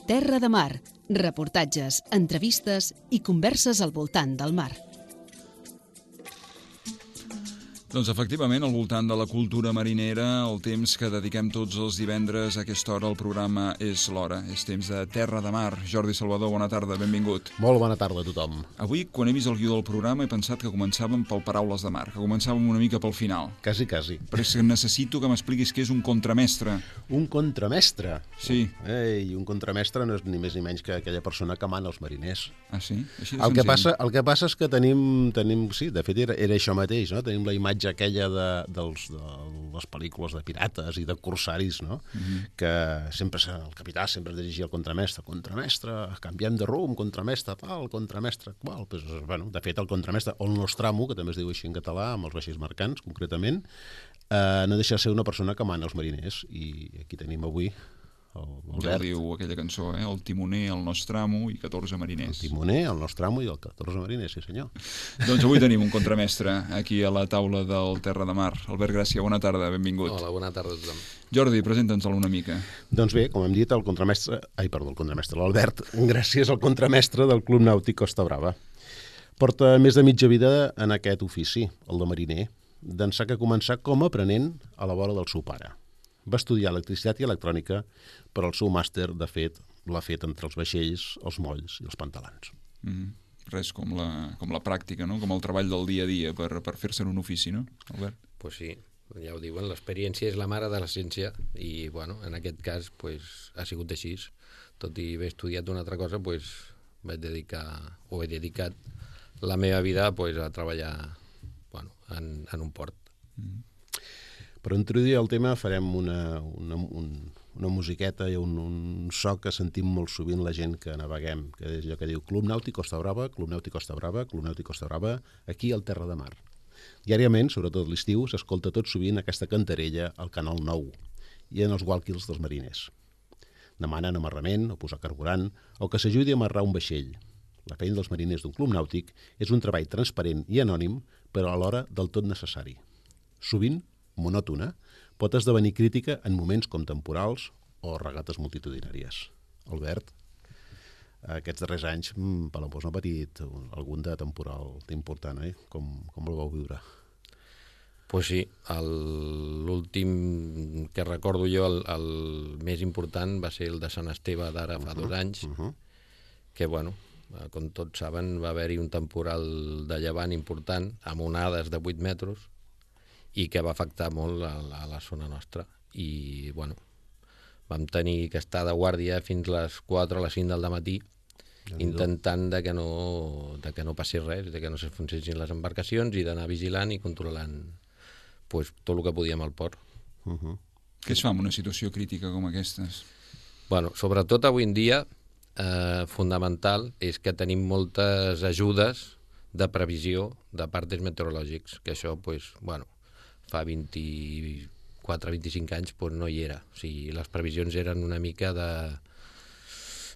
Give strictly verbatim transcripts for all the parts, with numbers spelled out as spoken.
Terra de Mar, reportatges, entrevistes i converses al voltant del mar. Doncs efectivament, al voltant de la cultura marinera, el temps que dediquem tots els divendres a aquesta hora al programa és l'hora. És temps de Terra de Mar. Jordi Salvador, bona tarda, benvingut. Molt bona tarda a tothom. Avui, quan he vist el guió del programa, he pensat que començàvem pel Paraules de Mar, que començàvem una mica pel final. Quasi, quasi. Però és que necessito que m'expliquis què és un contramestre. Un contramestre? Sí. Ei, un contramestre no és ni més ni menys que aquella persona que mana els mariners. Ah, sí? Així de el, que senzill. passa, el que passa és que tenim, tenim sí, de fet era, era això mateix, no? Tenim la imatge aquella de, dels, de les pel·lícules de pirates i de corsaris, no? Mm-hmm. Que sempre el capità sempre es dirigia al contramestre. Contramestre, canviem de rumb, contramestre tal, contramestre qual. Pues, bueno, de fet, el contramestre, o el Nostramo, que també es diu així en català, amb els vaixells mercants, concretament, eh, no deixa de ser una persona que mana els mariners. I aquí tenim avui el, el Ja ho Bert. diu aquella cançó, eh? El timoner, el Nostramo i catorze mariners. El timoner, el Nostramo i el catorze mariners, sí senyor. Doncs avui tenim un contramestre aquí a la taula del Terra de Mar. Albert Gràcia, bona tarda, benvingut. Hola, bona tarda a tothom. Jordi, presenta'ns-el una mica. Doncs bé, com hem dit, el contramestre... Ai, perdó, el contramestre, l'Albert, gràcies al contramestre del Club Nàutic Costa Brava. Porta més de mitja vida en aquest ofici, el de mariner, d'ençà que començà com a aprenent a la vora del seu pare. Va estudiar electricitat i electrònica, però el seu màster, de fet, l'ha fet entre els vaixells, els molls i els pantalans. Mm, res com la, com la pràctica, no? Com el treball del dia a dia per, per fer-se en un ofici, no, Albert? Pues sí, ja ho diuen, l'experiència és la mare de la ciència i, bueno, en aquest cas pues, ha sigut així. Tot i haver estudiat una altra cosa, pues, vaig dedicar, o he dedicat la meva vida pues, a treballar bueno, en, en un port. Mm. Per introduir el tema farem una, una, un, una musiqueta i un, un so que sentim molt sovint la gent que naveguem, que és allò que diu Club Nàutic Costa Brava, Club Nàutic Costa Brava, Club Nàutic Costa Brava, aquí al Terra de Mar. Diàriament, sobretot l'estiu, s'escolta tot sovint aquesta cantarella al Canal nou i en els walkies dels mariners. Demanen amarrament o posar carburant o que s'ajudi a amarrar un vaixell. La feina dels mariners d'un club nàutic és un treball transparent i anònim, però alhora del tot necessari. Sovint, monòtona, pot esdevenir crítica en moments com temporals o regates multitudinàries. Albert, aquests darrers anys, mmm, Palamós n'ha patit algun de temporal important, eh? Com, com el vau viure? Pues sí, l'últim que recordo jo, el, el més important, va ser el de Sant Esteve d'ara fa uh-huh, dos anys, uh-huh. que, bueno, com tots saben, va haver-hi un temporal de llevant important, amb onades de vuit metres, i que va afectar molt a la, a la zona nostra. I, bueno, vam tenir que estar de guàrdia fins a les quatre o les cinc del dematí, intentant de que, no, de que no passés res, de que no s'enfonsessin les embarcacions i d'anar vigilant i controlant pues, tot el que podíem al port. Uh-huh. Què es fa en una situació crítica com aquestes? Bueno, sobretot avui en dia, eh, fundamental és que tenim moltes ajudes de previsió de partes meteorològics, que això, pues, bueno, fa vint-i-quatre vint-i-cinc anys pues, no hi era. O sigui, les previsions eren una mica de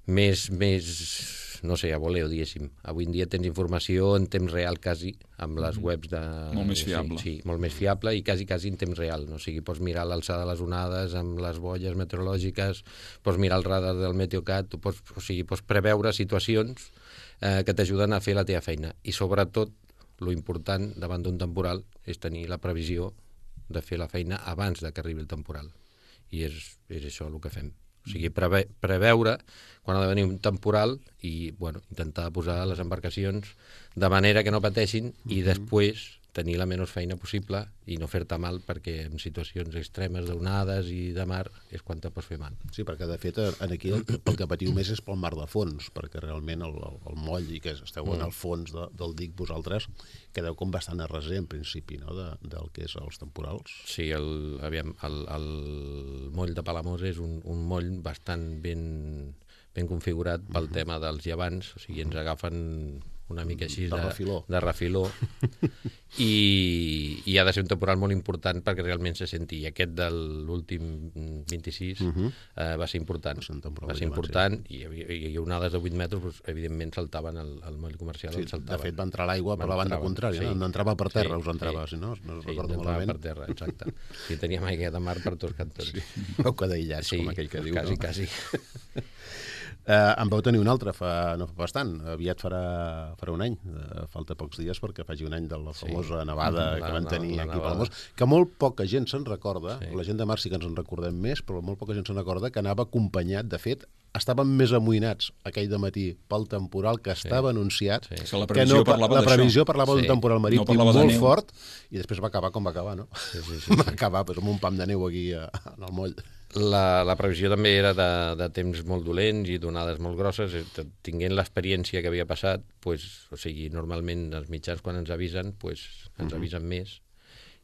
més, més no sé, a voleo, diguéssim. Avui en dia tens informació en temps real quasi, amb les webs de... Molt més fiable. Sí, sí, molt més fiable i quasi, quasi en temps real. No? O sigui, pots mirar l'alçada de les onades amb les boies meteorològiques, pots mirar el radar del Meteocat, tu pots, o sigui, pots preveure situacions eh, que t'ajuden a fer la teva feina. I sobretot, lo important davant d'un temporal és tenir la previsió de fer la feina abans de que arribi el temporal. I és, és això el que fem. O sigui, preve, preveure quan ha de venir un temporal i, bueno, intentar posar les embarcacions de manera que no pateixin i després tenir la menys feina possible i no fer-te mal, perquè en situacions extremes d'onades i de mar és quan te pots fer mal. Sí, perquè de fet aquí el, el que patiu més és pel mar de fons, perquè realment el, el, el moll i que esteu mm. en el fons de, del dic vosaltres quedeu com bastant a reser en principi, no?, de, del que és els temporals. Sí, el, aviam, el, el moll de Palamós és un, un moll bastant ben, ben configurat pel mm-hmm. tema dels llevants, o sigui, ens agafen una mica així de, de, de refiló, de refiló. I, i ha de ser un temporal molt important perquè realment se senti. I aquest de l'últim vint-i-sis uh -huh. eh, va ser important. Va ser, va ser important sí. i hi havia, hi havia onades de vuit metres, doncs, evidentment saltaven el, el moll comercial. Sí, saltaven. De fet va entrar l'aigua per la banda contrària, sí. no? no entrava per terra, sí, us entrava, sí. si no, no sí, recordo entrava malament. per terra, exacte. I teníem aigua de mar per tots cantons. Sí. Vau quedar aïllats, sí, com aquell que diu, quasi, no? quasi. Uh, en vau tenir un altre fa, no fa bastant, aviat farà, farà un any, uh, falta pocs dies perquè faci un any de la famosa sí. nevada la, que van tenir la, la aquí a Palamós, que molt poca gent se'n recorda, sí. la gent de Mar sí que ens en recordem més, però molt poca gent se'n recorda que anava acompanyat, de fet, estaven més amoïnats aquell dematí pel temporal que estava sí. anunciat, sí. que la previsió que no, parlava la previsió parlava sí. d'un temporal marítim no molt fort, i després va acabar com va acabar, no? Sí, sí, sí, va sí. acabar pues, amb un pam de neu aquí a, en el moll. La, la previsió també era de, de temps molt dolents i d'onades molt grosses. Tinguent l'experiència que havia passat, pues, o sigui, normalment els mitjans quan ens avisen, pues, ens uh-huh. avisen més.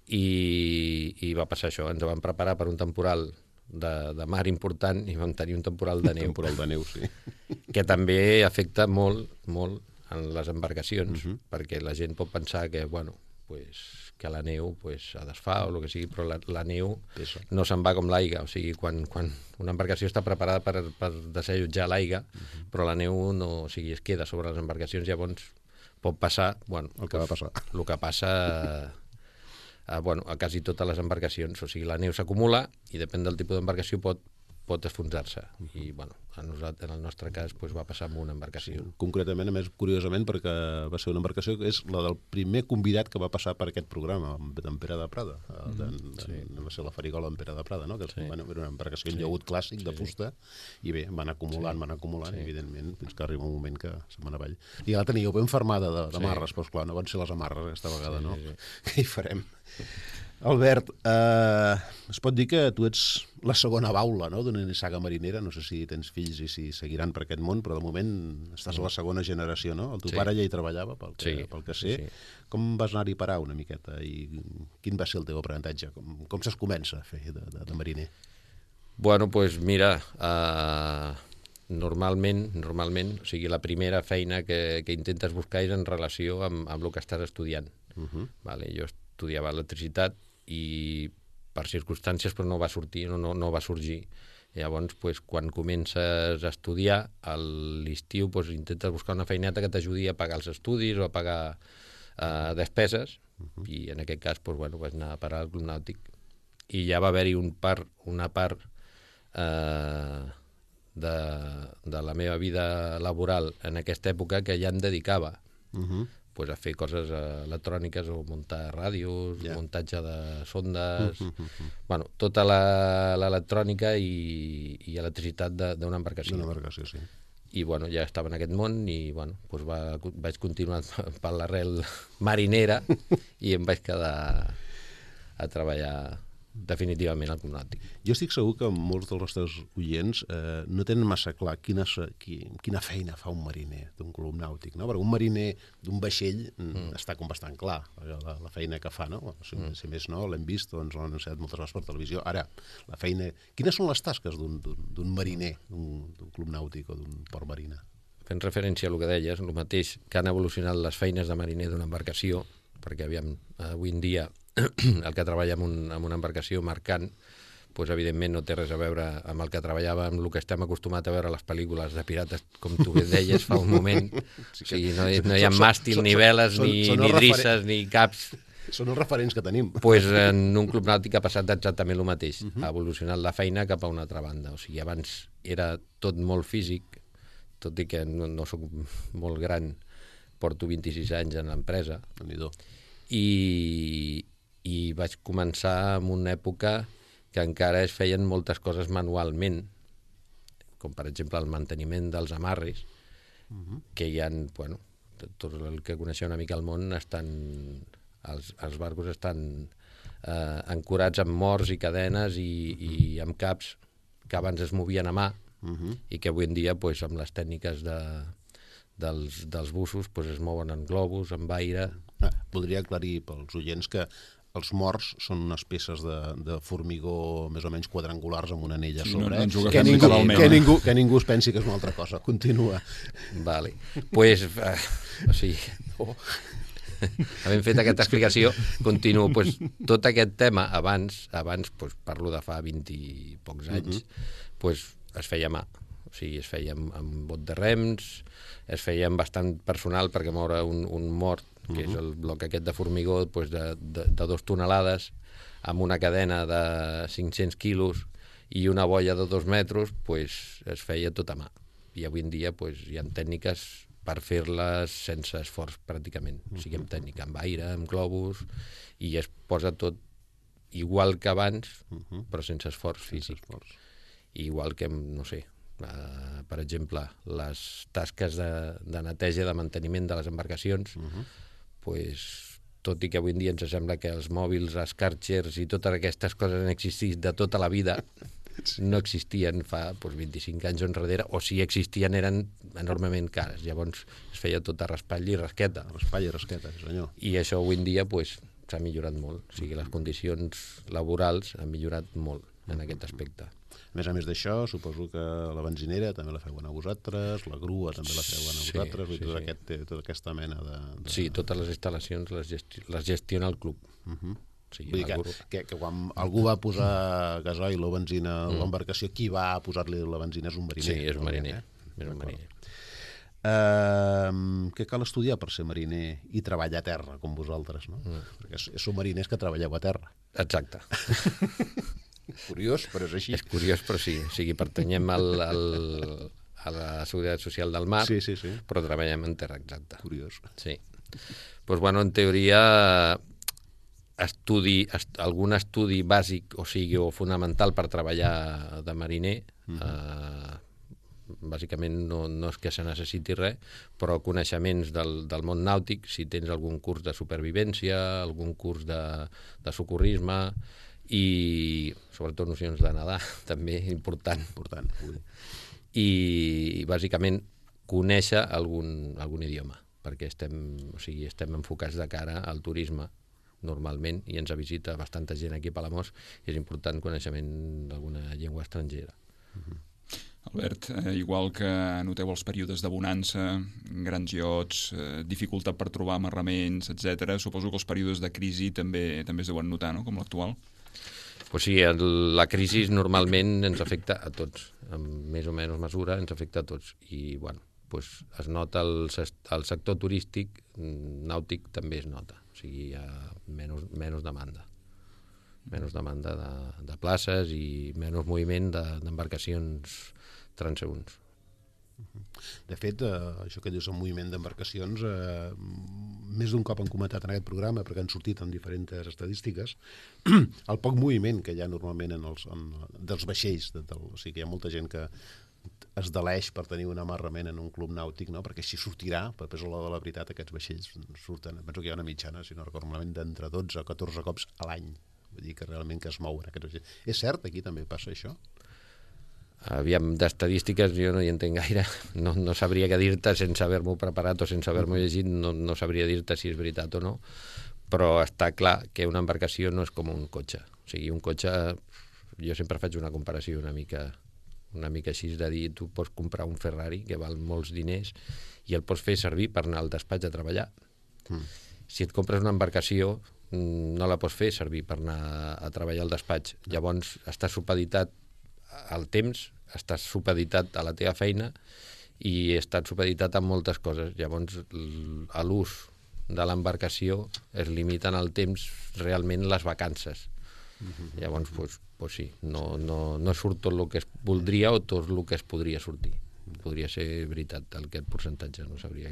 I, I va passar això. Ens vam preparar per un temporal de, de mar important i vam tenir un temporal de neu. Un temporal de neu, sí. Que també afecta molt, molt en les embarcacions, uh-huh. perquè la gent pot pensar que, bueno, pues, que la neu pues, es desfà o el que sigui, però la, la neu Pesa. no se'n va com l'aigua. O sigui, quan, quan una embarcació està preparada per, per desallotjar l'aigua, uh-huh. però la neu no, o sigui, es queda sobre les embarcacions, llavors pot passar, bueno, el que va passar. El que passa a, bueno, a quasi totes les embarcacions. O sigui, la neu s'acumula i depèn del tipus d'embarcació pot pot enfonsar-se. I, bueno, en, nosaltres, en el nostre cas pues, va passar amb una embarcació. Sí, concretament, a més, curiosament, perquè va ser una embarcació que és la del primer convidat que va passar per aquest programa, en Pere de Prada. Mm, de, sí. Va ser la Farigola en Pere de Prada, no? Que sí. Bueno, era una embarcació en sí. llaüt clàssic, sí. de fusta, i bé, van acumulant, sí. van acumulant, sí. evidentment, fins que arriba un moment que se'n van avall. I la teníeu ben fermada d'amarres, sí. però esclar, no van ser les amarres aquesta vegada, sí, no? Sí, sí. Què hi farem? Albert, eh, es pot dir que tu ets la segona baula, no?, d'una saga marinera. No sé si tens fills i si seguiran per aquest món, però de moment estàs a la segona generació, no? El teu sí. pare ja hi treballava, pel que, sí. pel que sé. Sí, sí. Com vas anar-hi a parar una miqueta? I quin va ser el teu aprenentatge? Com, com es comença a fer de, de, de mariner? Bueno, doncs pues mira, uh, normalment, normalment, o sigui, la primera feina que, que intentes buscar és en relació amb, amb el que estàs estudiant. Uh-huh. Vale, jo estudiava electricitat i per circumstàncies però no va sortir, no, no, no va sorgir. Llavors, pues, quan comences a estudiar, a l'estiu pues, intentes buscar una feineta que t'ajudi a pagar els estudis o a pagar uh, despeses, uh-huh. i en aquest cas pues, bueno, vaig anar a parar al Club Nàutic. I ja va haver-hi un part, una part uh, de, de la meva vida laboral en aquesta època que ja em dedicava uh-huh. pues a fer coses electròniques o muntar ràdios, yeah. muntatge de sondes, uh, uh, uh, uh. bueno, tota l'electrònica i, i electricitat d'una embarcació. D'una embarcació, sí. I bueno, ja estava en aquest món i bueno, pues va, vaig continuar per l'arrel marinera i em vaig quedar a treballar definitivament al Club Nàutic. Jo estic segur que molts dels nostres oients eh, no tenen massa clar quina, quina feina fa un mariner d'un club nàutic, no? Perquè un mariner d'un vaixell mm. està com bastant clar la, la feina que fa, no? Si, mm. si més no, l'hem vist, doncs l'han anunciat moltes vegades per televisió. Ara, la feina... Quines són les tasques d'un mariner, d'un club nàutic o d'un port marina? Fent referència a el que deies, el mateix que han evolucionat les feines de mariner d'una embarcació, perquè aviam, avui en dia el que treballa en, un, en una embarcació mercant, doncs, evidentment no té res a veure amb el que treballava, amb el que estem acostumats a veure a les pel·lícules de pirates, com tu bé deies fa un moment. Sí, o sigui, no, no hi ha màstil, ni veles, ni, ni drisses, ni caps. Són els referents que tenim. Pues en un club nàutic ha passat exactament el mateix. Uh-huh. Ha evolucionat la feina cap a una altra banda. O sigui, abans era tot molt físic, tot i que no, no soc molt gran, porto vint-i-sis anys en l'empresa. I... i vaig començar en una època que encara es feien moltes coses manualment, com per exemple el manteniment dels amarres, uh-huh. que hi ha, bueno, tot el que coneixeu una mica el món, estan, els, els barcos estan eh, ancorats amb morts i cadenes i, i amb caps que abans es movien a mà, uh-huh. i que avui en dia, pues, amb les tècniques de, dels, dels bussos, pues, es mouen en globus, en aire. Ah, voldria aclarir pels oients que els morts són unes peces de, de formigó més o menys quadrangulars amb una anella sí, sobre, no, no que, ningú, que, ningú, que ningú es pensi que és una altra cosa. Continua. Vale. Pues, uh, o sigui, oh. havent fet aquesta explicació, continuo. Pues, tot aquest tema, abans, abans pues, parlo de fa vint i pocs anys, uh-huh. pues, es feia a mà. O sigui, es feia amb, amb bot de rems, es feia amb bastant personal perquè moure un, un mort, que uh-huh. és el bloc aquest de formigó pues de, de, de dos tonelades amb una cadena de cinc-cents quilos i una boia de dos metres, pues, es feia tot a mà. I avui en dia pues, hi ha tècniques per fer-les sense esforç pràcticament. Uh-huh. O sigui, amb tècnica, amb aire, amb globus, i es posa tot igual que abans, uh-huh. però sense esforç físic. Sense esforç. Igual que, no sé, uh, per exemple, les tasques de, de neteja, de manteniment de les embarcacions, uh-huh. pues, tot i que avui en dia ens sembla que els mòbils, els Karchers i totes aquestes coses han existit de tota la vida, no existien fa pues, vint-i-cinc anys enrere, o si existien eren enormement cares. Llavors es feia tot a raspall i rasqueta. Raspall i rasqueta, senyor. I això avui en dia pues, s'ha millorat molt. O sigui, les condicions laborals han millorat molt en aquest aspecte. A més a més d'això, suposo que la benzinera també la feuen a vosaltres, la grua també la feuen a vosaltres, sí, sí, tot sí. Aquest, tota aquesta mena de, de... Sí, totes les instal·lacions les, gesti les gestiona el club. Uh-huh. Sí, vull dir que, que, que quan algú va posar gasoil o benzina a mm. l'embarcació, qui va posar-li la benzina és un mariner. Sí, és un mariner. Eh? És un mariner. Uh, què cal estudiar per ser mariner i treballar a terra, com vosaltres, no? Mm. Perquè sou mariners que treballeu a terra. Exacte. Curiós, però és així. És curiós, però sí. O sigui, pertanyem al, al, a la Seguretat Social del Mar, sí, sí, sí. però treballem en terra, exacte. Curiós. Sí. Pues, bueno, en teoria, estudi, est, algun estudi bàsic, o sigui, o fonamental per treballar de mariner, mm-hmm. eh, bàsicament no, no és que se necessiti res, però coneixements del, del món nàutic, si tens algun curs de supervivència, algun curs de, de socorrisme, i sobretot nocions de nedar, també important. Important. I, i bàsicament conèixer algun, algun idioma, perquè estem, o sigui, estem enfocats de cara al turisme normalment i ens visita bastanta gent aquí a Palamós i és important coneixement d'alguna llengua estrangera. Uh-huh. Albert, eh, igual que noteu els períodes de bonança, grans iots, eh, dificultat per trobar amarraments, etcètera, suposo que els períodes de crisi també també es deuen notar, no?, com l'actual. Pues sí, el, la crisi normalment ens afecta a tots, en més o menys mesura ens afecta a tots i bueno, pues es nota el, el sector turístic, nàutic també es nota, o sigui, hi ha menys, menys demanda, menys demanda de, de places i menys moviment d'embarcacions de, transeünts. De fet, eh, això que dius, el moviment d'embarcacions, eh, més d'un cop han comentat en aquest programa, perquè han sortit en diferents estadístiques, el poc moviment que hi ha normalment en els, en, dels vaixells, de, del, o sigui que hi ha molta gent que es deleix per tenir un amarrament en un club nàutic, no? Perquè així sortirà, per a la de la veritat, aquests vaixells surten, penso que hi ha una mitjana, si no recordo malament, d'entre dotze a catorze cops a l'any, vull dir que realment que es mouen aquests vaixells. És cert, aquí també passa això? Aviam, d'estadístiques jo no hi entenc gaire, no, no sabria què dir-te sense haver-m'ho preparat o sense haver-m'ho llegit, no, no sabria dir-te si és veritat o no, però està clar que una embarcació no és com un cotxe. O sigui, un cotxe, jo sempre faig una comparació una mica, una mica així de dir, tu pots comprar un Ferrari que val molts diners i el pots fer servir per anar al despatx a treballar. Mm. Si et compres una embarcació, no la pots fer servir per anar a treballar al despatx. Llavors, estàs supeditat al temps, estàs supeditat a la teva feina i estàs supeditat a moltes coses. Llavors, a l'ús de l'embarcació es limiten al temps realment les vacances. Uh-huh. Llavors, pues, pues sí, no, no, no surt tot el que es voldria o tot el que es podria sortir. Podria ser veritat aquest percentatge, no sabria,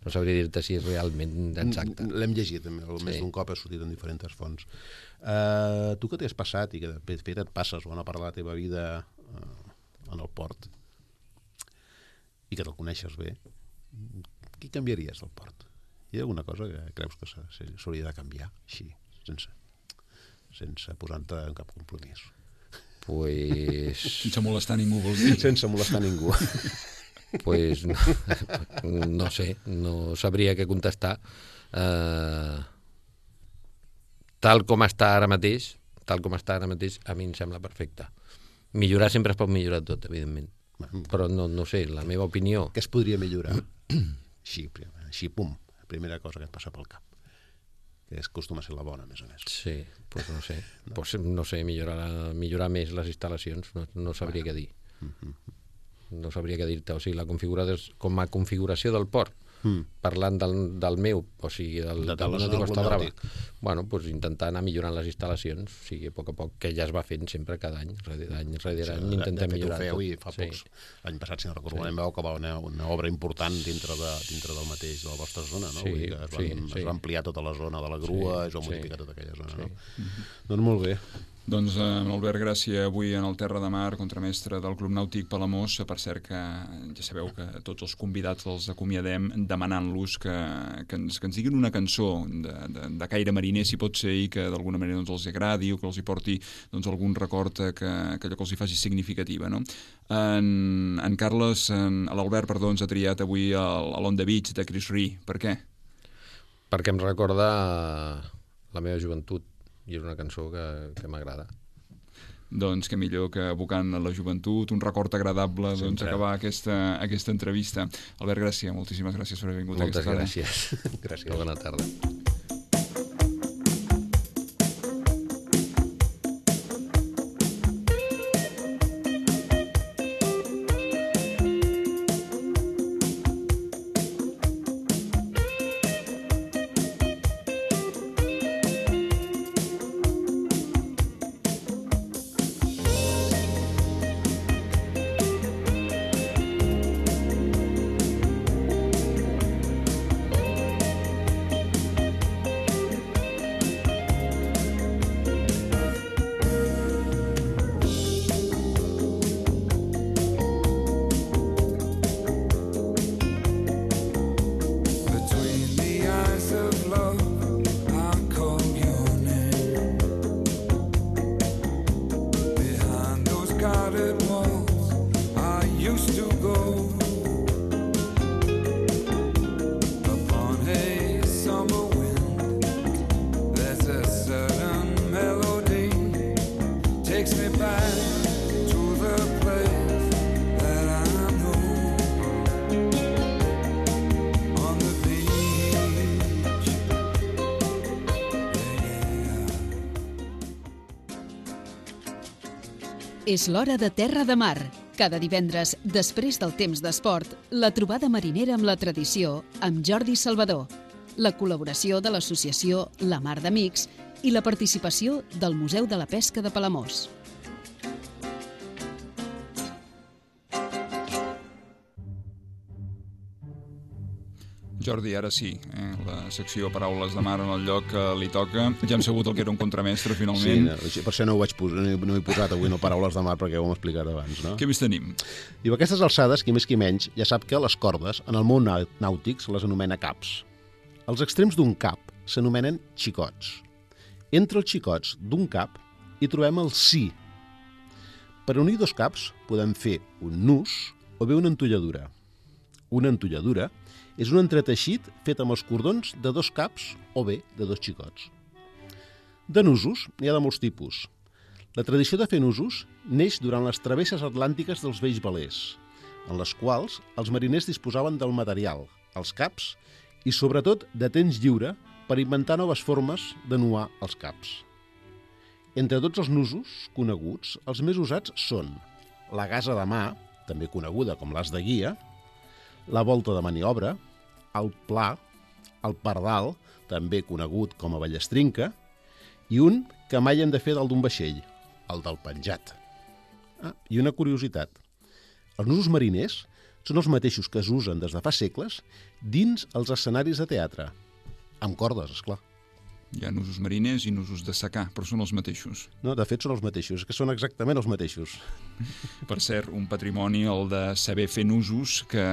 no sabria dir-te si és realment exacte. L'hem llegit, el sí. Més d'un cop ha sortit en diferents fonts. Uh, tu que t'has passat i que de fet et passes bona part de la teva vida uh, en el port i que te'l coneixes bé, què canviaries del port? Hi ha alguna cosa que creus que s'hauria de canviar així, sense, sense posar-te en cap compromís? Pues... Sense molestar ningú, vols dir? Sense molestar ningú. Pues no, no sé, no sabria què contestar. Uh, tal com està ara mateix, tal com està ara mateix, a mi em sembla perfecte. Millorar sempre es pot millorar tot, evidentment. Però no, no sé, la meva opinió... Què es podria millorar? Així, així, pum, la primera cosa que et passa pel cap. Que és acostuma a ser la bona, a més a més. Sí, doncs no sé. No, pues, no sé, millorar, millorar més les instal·lacions, no, no sabria què dir. No sabria què dir-te. O sigui, la configuració, com a configuració del port, Mm. parlant del, del meu, o sigui, del, de, del Nàutic Costa Brava, bueno, pues intentar anar millorant les instal·lacions, o sigui, a poc a poc, que ja es va fent sempre cada any, rere any, rere any, sí, intentem millorar tot. I fa sí. pocs, l'any passat, si no recordo, sí. vau acabar una, una obra important dintre, de, dintre del mateix, de la vostra zona, no? Sí, Vull dir que es, van, sí, es sí. va ampliar tota la zona de la grua, sí, es va modificar sí. tota aquella zona, sí. no? Mm-hmm. Doncs molt bé. Doncs eh, Albert Gràcia, avui en el Terra de Mar, contramestre del Club Nàutic Palamós. Per cert que ja sabeu que tots els convidats els acomiadem demanant-los que, que, ens, que ens diguin una cançó de, de, de caire mariner, si pot ser, i que d'alguna manera doncs, els agradi o que els hi porti doncs, algun record que, que allò que els hi faci significativa. No? En, en Carles, en, l'Albert, perdó, ens ha triat avui el, el On the Beach de Chris Rea. Per què? Perquè em recorda la meva joventut. I és una cançó que, que m'agrada. Doncs que millor que evocant la joventut, un record agradable, sí, doncs, acabar aquesta, aquesta entrevista. Albert Gràcia, moltíssimes gràcies per haver vingut Moltes a aquesta gràcies. gràcies. Bona tarda. És l'hora de Terra de Mar. Cada divendres, després del temps d'esport, la trobada marinera amb la tradició amb Jordi Salvador, la col·laboració de l'associació La Mar d'Amics i la participació del Museu de la Pesca de Palamós. Jordi, ara sí, eh? la secció Paraules de Mar en el lloc que li toca. Ja hem sabut el que era un contramestre, finalment. Sí, per això no ho vaig posar, no he posat avui no Paraules de Mar, perquè ho hem explicat abans, no? Què més tenim? Diu, aquestes alçades, qui més qui menys, ja sap que les cordes, en el món nàutic, se les anomena caps. Els extrems d'un cap s'anomenen xicots. Entre els xicots d'un cap hi trobem el si. Per unir dos caps podem fer un nus o bé una entolladura. Una entolladura és un entreteixit fet amb els cordons de dos caps o bé de dos xicots. De nusos n'hi ha de molts tipus. La tradició de fer nusos neix durant les travesses atlàntiques dels vells velers, en les quals els mariners disposaven del material, els caps, i sobretot de temps lliure per inventar noves formes de nuar els caps. Entre tots els nusos coneguts, els més usats són la gasa de mà, també coneguda com l'as de guia, la volta de maniobra, el pla, el pardal, també conegut com a ballestrinca, i un que mai hem de fer dalt d'un vaixell, el del penjat. Ah, i una curiositat. Els nusos mariners són els mateixos que es usen des de fa segles dins els escenaris de teatre, amb cordes, esclar. Hi ha nusos mariners i nusos de secà, però són els mateixos. No, de fet són els mateixos, és que són exactament els mateixos. Per cert, un patrimoni, el de saber fer nusos, que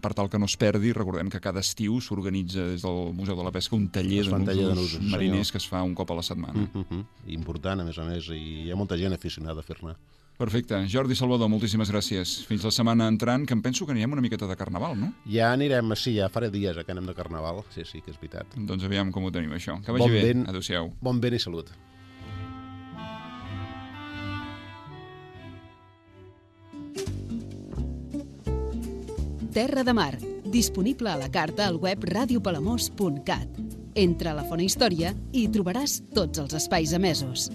per tal que no es perdi, recordem que cada estiu s'organitza des del Museu de la Pesca un taller de nusos, de nusos mariners senyor. Que es fa un cop a la setmana. Mm-hmm. Important, a més a més, i hi ha molta gent aficionada a fer-ne. Perfecte. Jordi Salvador, moltíssimes gràcies. Fins la setmana entrant, que em penso que anirem una miqueta de carnaval, no? Ja anirem, sí, ja faré dies que anem de carnaval. Sí, sí, que és veritat. Doncs aviam com ho tenim, això. Que vagi Bon bé. vent. Adéu-siau. Bon vent i salut. Terra de Mar, disponible a la carta al web radio palamós punt cat. Entra a la Fona Història i hi trobaràs tots els espais emesos.